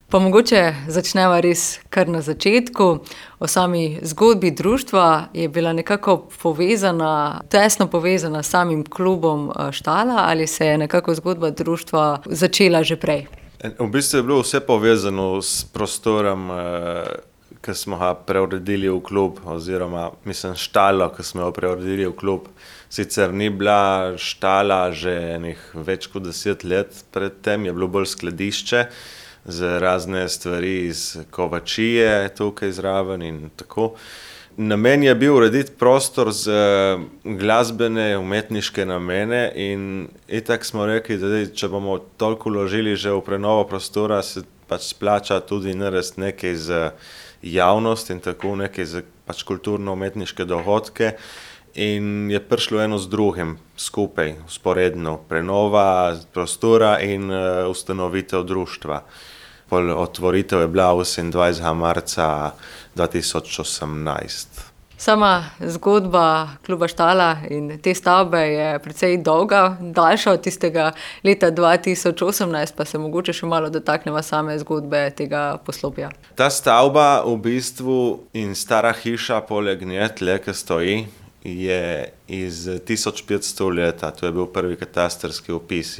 Pa mogoče začneva res kar na začetku. O sami zgodbi društva je bila nekako povezana, tesno povezana s samim klubom Štala ali se je nekako zgodba društva začela že prej? V bistvu je bilo vse povezano s prostorom, ki smo ga preuredili v klub, oziroma štalo, ki smo jo preuredili v klub. Sicer ni bila štala že več kot 10 let predtem, je bilo bolj skladišče za razne stvari iz kovačije tukaj zraven in tako. Namen je bil urediti prostor za glasbene, umetniške namene in itak smo rekli, da če bomo toliko vložili že v prenovo prostora, se pač splača tudi narediti nekaj za javnost in tako nekaj za pač kulturno-umetniške dogodke. In je prišlo eno z drugim skupaj, vzporedno, prenova prostora in ustanovitev društva. Otvoritev je bila 28. marca 2018. Sama zgodba kluba Štala in te stavbe je precej dolga, daljša od tistega leta 2018, pa se mogoče še malo dotakneva same zgodbe tega poslopja. Ta stavba v bistvu in stara hiša poleg nje, tle, ki stoji, je iz 1500 leta, to je bil prvi katastrski opis.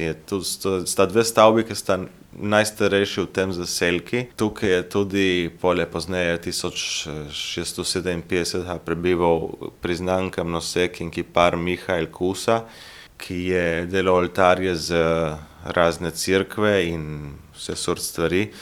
Sta dve stavbi, ki sta najstarejši v tem zaselki. Tukaj je tudi pozneje 1657 prebival priznan kamnosek in kipar Mihael Kusa, ki je delal oltarje za razne cerkve in vse sort stvari.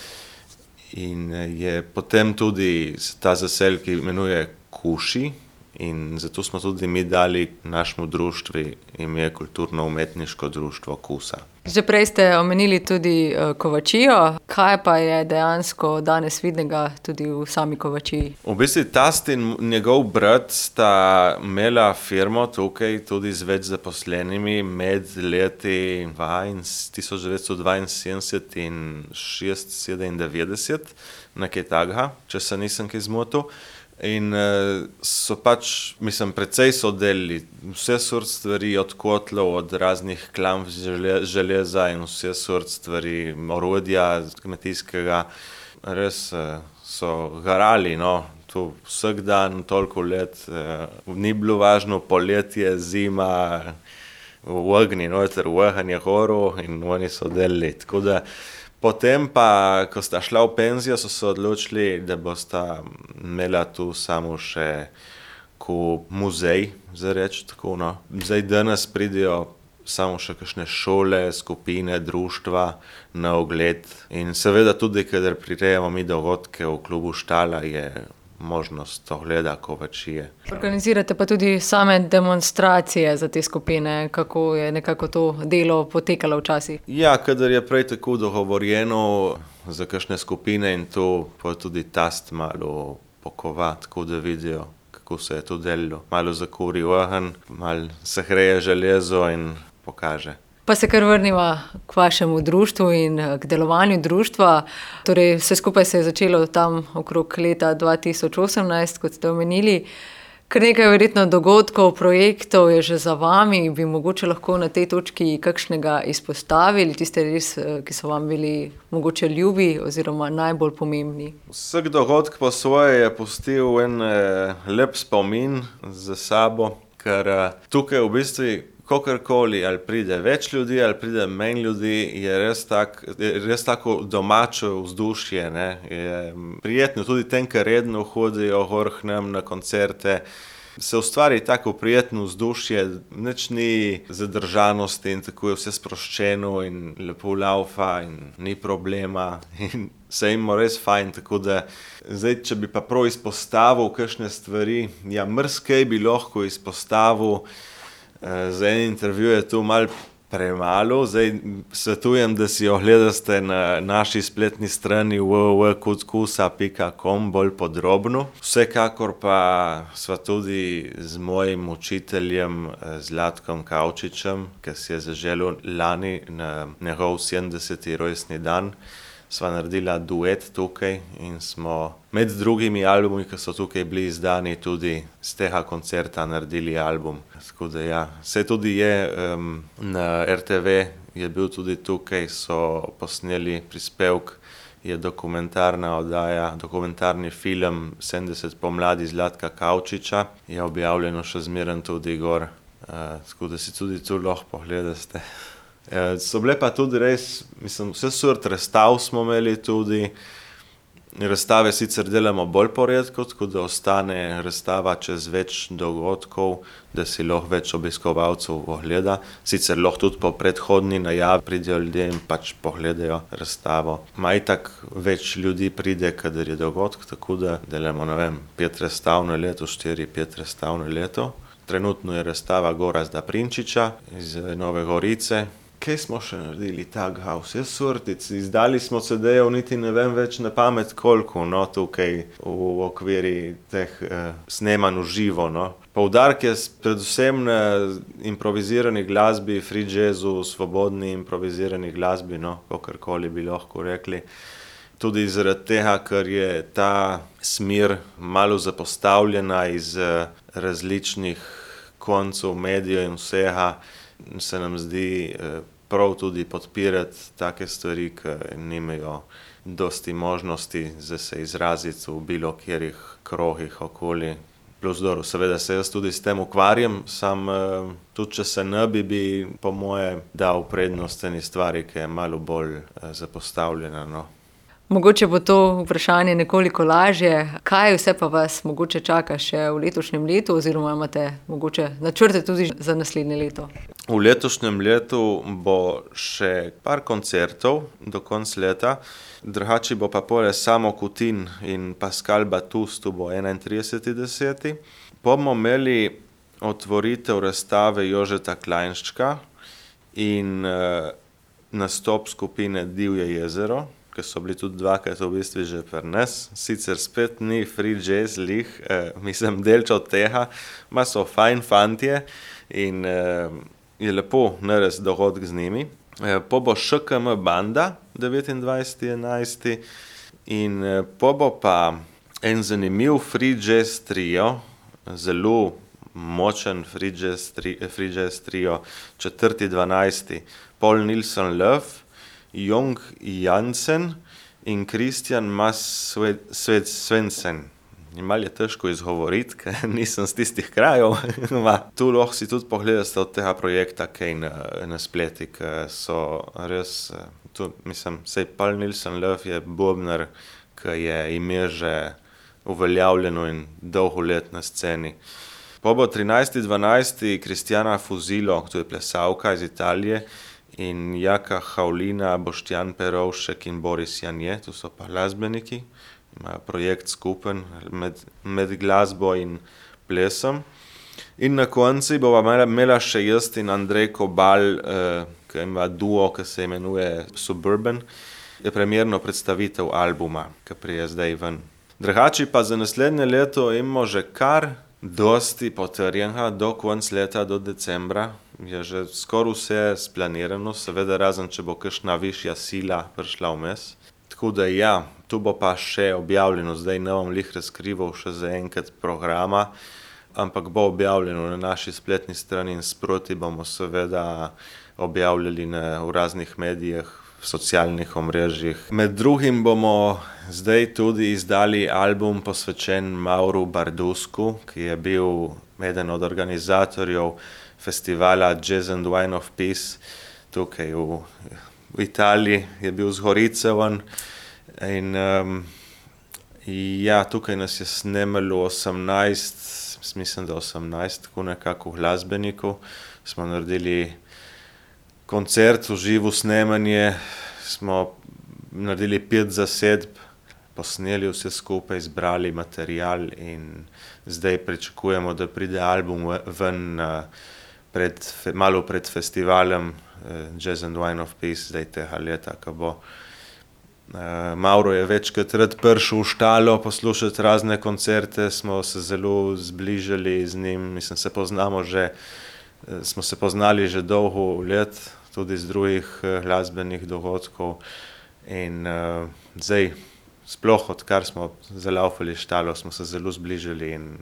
In je potem tudi ta zaselek imenuje Kuši. In zato smo tudi mi dali našemu društvu ime Kulturno-umetniško društvo Kusa. Že prej ste omenili tudi kovačijo. Kaj pa je dejansko danes vidnega tudi v sami kovačiji? V bistvu tast in njegov brat sta imela firmo tukaj tudi z več zaposlenimi med leti 1972 in 1996, nekaj takega, če se nisem kaj zmotil. In so pač, precej so delili vse sort stvari, od kotlov, od raznih klamp železa in vse sort stvari, orodja kmetijskega. Res so garali, no, tu vsak dan, toliko let, ni bilo važno poletje, zima, v ognji, noter, v ogenj je horil in oni so delili, tako da. Potem pa, ko sta šla v penzijo, so se odločili, da bosta imela tu samo še ko muzej, za reči tako, no. Zdaj danes pridejo samo še kakšne šole, skupine, društva na ogled in seveda tudi, kadar prirejamo mi dogodke v klubu Štala, je možnost ogleda kovačije. Organizirate pa tudi same demonstracije za te skupine, kako je nekako to delo potekalo včasih? Ja, kadar je prej tako dogovorjeno za kakšne skupine in to pa tudi tast malo pokova, tako da vidijo, kako se je to delilo. Malo zakuri ogenj, malo se hreje železo in pokaže. Pa se kar vrniva k vašemu društvu in k delovanju društva. Torej, vse skupaj se je začelo tam okrog leta 2018, kot ste omenili. Kar nekaj verjetno dogodkov, projektov je že za vami. Bi mogoče lahko na tej točki kakšnega izpostavili, tiste res, ki so vam bili mogoče ljubi oziroma najbolj pomembni? Vsak dogodek po svoje je pustil en lep spomin za sabo, ker tukaj v bistvu kakorkoli, ali pride več ljudi, ali pride manj ljudi, je res tako domače vzdušje, ne. Je prijetno tudi tem, ki redno hodijo gor k nam na koncerte. Se ustvari tako prijetno vzdušje, nič ni zadržanosti in tako je vse sproščeno in lepo laufa in ni problema in se imamo res fajn, tako da zdaj, če bi pa prav izpostavil kakšne stvari, ja, marsikaj bi lahko izpostavil. Za en intervju je to malo premalo, zdaj svetujem, da si ogledate na naši spletni strani www.kutkusa.com bolj podrobno. Vsekakor pa sva tudi z mojim učiteljem Zlatkom Kavčičem, ki si je zaželel lani na njegov 70. rojstni dan, sva naredila duet tukaj in smo med drugimi albumi, ki so tukaj bili izdani, tudi z tega koncerta naredili album. Tako da ja, se tudi je na RTV je bil tudi tukaj, so posneli prispevek je dokumentarna oddaja, dokumentarni film 70 pomladi Zlatka Kavčiča, je objavljeno še zmeraj tudi gor, tako da si tudi tu lahko pogledate. So bile pa tudi res, mislim, vse sort razstav smo imeli tudi. Razstave sicer delamo bolj poredko, tako da ostane razstava čez več dogodkov, da si lahko več obiskovalcev ogleda. Sicer lahko tudi po predhodni najavi pridejo ljudje in pač pogledajo razstavo. Itak več ljudi pride, kadar je dogodk, tako da delamo, 5 razstav na leto, 4-5 razstav na leto. Trenutno je razstava Gorazda Prinčiča iz Nove Gorice. Kaj smo še naredili takega, vse sortic, izdali smo CD-jev, niti ne vem več na pamet koliko, tukaj v okviri teh snemanj v živo, Poudarek je predvsem na improvizirani glasbi, free jazzu, svobodni improvizirani glasbi, kakorkoli bi lahko rekli. Tudi zaradi tega, ker je ta smer malo zapostavljena iz različnih koncev medijev in vsega, se nam zdi prav tudi podpirati take stvari, ki nimajo dosti možnosti za se izraziti v bilo kjerih krogih okoli. Plus dobro, seveda se jaz tudi s tem ukvarjam, tudi če se ne bi po moje dal prednost eni stvari, ki je malo bolj zapostavljena, Mogoče bo to vprašanje nekoliko lažje. Kaj vse pa vas mogoče čaka še v letošnjem letu oziroma imate mogoče načrte tudi za naslednje leto? V letošnjem letu bo še par koncertov do konca leta. Drugače bo pa poleg Samo Kutin in Pascal Batus, to bo 31.10. Bomo imeli otvoritev razstave Jožeta Klajnščka in nastop skupine Divje jezero, ki so bili tudi dvakrat v bistvu že pri nas. Sicer spet ni free jazz lih, mislim delč od tega, ma so fajn fantje in je lepo narediti dogodek z njimi. Po bo ŠKM banda 29.11. in po bo pa en zanimiv free jazz trio, zelo močen free jazz trio, 4.12. Paul Nilsson Love, Jong Jansen in Christian Mas Svendsen. Malo je težko izgovoriti, ker nisem z tistih krajev. Tu lahko si tudi pogledate od tega projekta kaj na spleti, ki so res, sej Paul Nilsson Love je bobnar, ki je ime že uveljavljeno in dolgo let na sceni. Po bo 13.12. Kristjana Fuzilo, to je plesalka iz Italije, in Jaka Haulina, Boštjan Perovšek in Boris Janje, to so pa glasbeniki, imajo projekt skupen med glasbo in plesom. In na konci bova imela še jaz in Andrej Kobal, ki ima duo, ki se imenuje Suburban, je premierno predstavitev albuma, ki prije zdaj ven. Drugače pa za naslednje leto imamo že kar dosti potrjenega, do konca leta, do decembra. Je že skoraj vse splanirano, seveda razen, če bo kakšna višja sila prišla vmes. Tako da tu bo pa še objavljeno, zdaj ne bom lih razkrival še za enkrat programa, ampak bo objavljeno na naši spletni strani in sproti bomo seveda objavljali v raznih medijih, v socialnih omrežjih. Med drugim bomo zdaj tudi izdali album posvečen Mauru Bardusku, ki je bil eden od organizatorjev festivala Jazz and Wine of Peace tukaj v Italiji, je bil z Gorice on. In tukaj nas je snemalo 18, mislim, da 18, tako nekako glasbenikov. Smo naredili koncert, v živo snemanje, smo naredili 5 zasedb, posneli vse skupaj, zbrali material in zdaj pričakujemo, da pride album ven malo pred festivalem Jazz and Wine of Peace, zdaj tega leta, ko bo. Mauro je večkrat rad prišel v štalo poslušati razne koncerte, smo se zelo zbližali z njim, smo se poznali že dolgo let, tudi z drugih glasbenih dogodkov in zdaj sploh odkar smo zalaufali štalo, smo se zelo zbližali in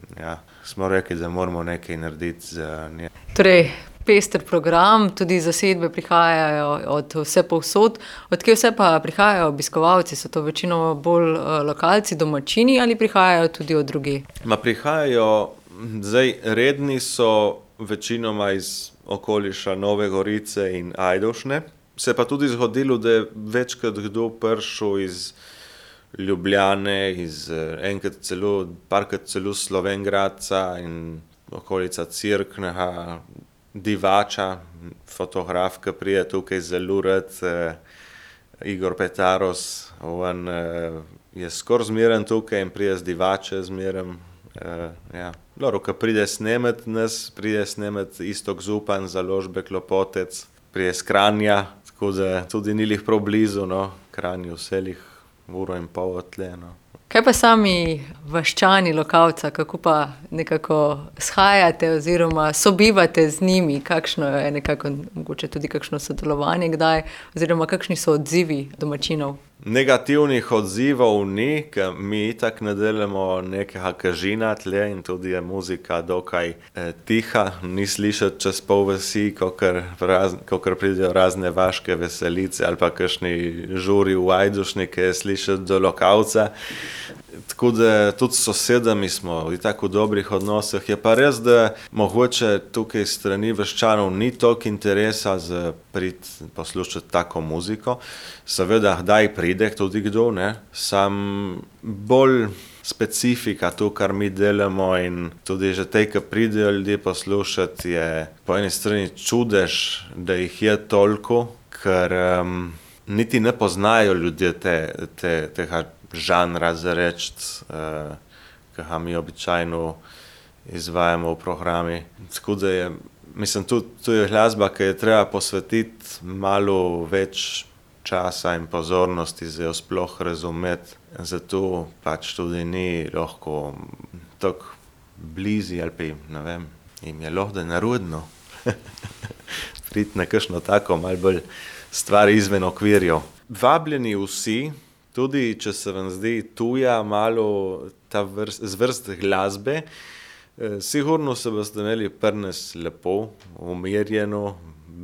smo rekli, da moramo nekaj narediti za nje. Torej, pester program, tudi zasedbe prihajajo od vse povsod. Od kje vse pa prihajajo obiskovalci? So to večinoma bolj lokalci, domačini ali prihajajo tudi od drugje? Prihajajo, zdaj redni so večinoma iz okoliša Nove Gorice in Ajdovšne. Se pa tudi zgodilo, da je večkrat kdo prišel iz Ljubljane, parkrat celo Slovenj Gradca in okolica Cerknega, Divača, fotograf, ki prije tukaj zelo rad, Igor Petaros, on je skoraj zmeren tukaj in prije z Divače zmeren. Ja. Loro, ko pride snemet nas, pride snemet Istok Zupan, založbe Klopotec, prije z Kranja, tako da tudi ni lih prav blizu, no, Kranju vselih 1,5 ure odtle, no. Kaj pa sami vaščani lokalca, kako pa nekako shajate oziroma sobivate z njimi? Kakšno je nekako, mogoče tudi kakšno sodelovanje kdaj, oziroma kakšni so odzivi domačinov? Negativnih odzivov ni, ker mi itak ne delamo nekega kažina tle in tudi je muzika dokaj tiha, ni slišati čez pol vasi, kakor pridejo razne vaške veselice ali pa kakšni žuri v Ajdušni, ki je slišati do lokalca. Tako da tudi s sosedami smo itak v dobrih odnosih. Je pa res, da mogoče tukaj strani vaščanov ni toliko interesa za poslušati tako muziko. Seveda, kdaj pride tudi kdo, ne? Sam bolj specifika to, kar mi delamo in tudi že tej, ki pridejo ljudje poslušati, je po eni strani čudež, da jih je toliko, ker niti ne poznajo ljudje tega žanra za reči, ki ga mi običajno izvajamo v programi. Tako da je, mislim, tu je glasba, ki je treba posvetiti malo več časa in pozornosti za jo sploh razumeti. Zato pač tudi ni lahko tako blizu ali pa, ne vem, jim je lahko nerodno priti na kakšno tako malo bolj stvar izven okvirjev. Vabljeni vsi, tudi če se vam zdi tuja malo ta vrst glasbe, sigurno se boste imeli prnes lepo, umirjeno,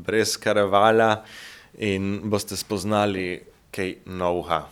brez karavala in boste spoznali kaj novega.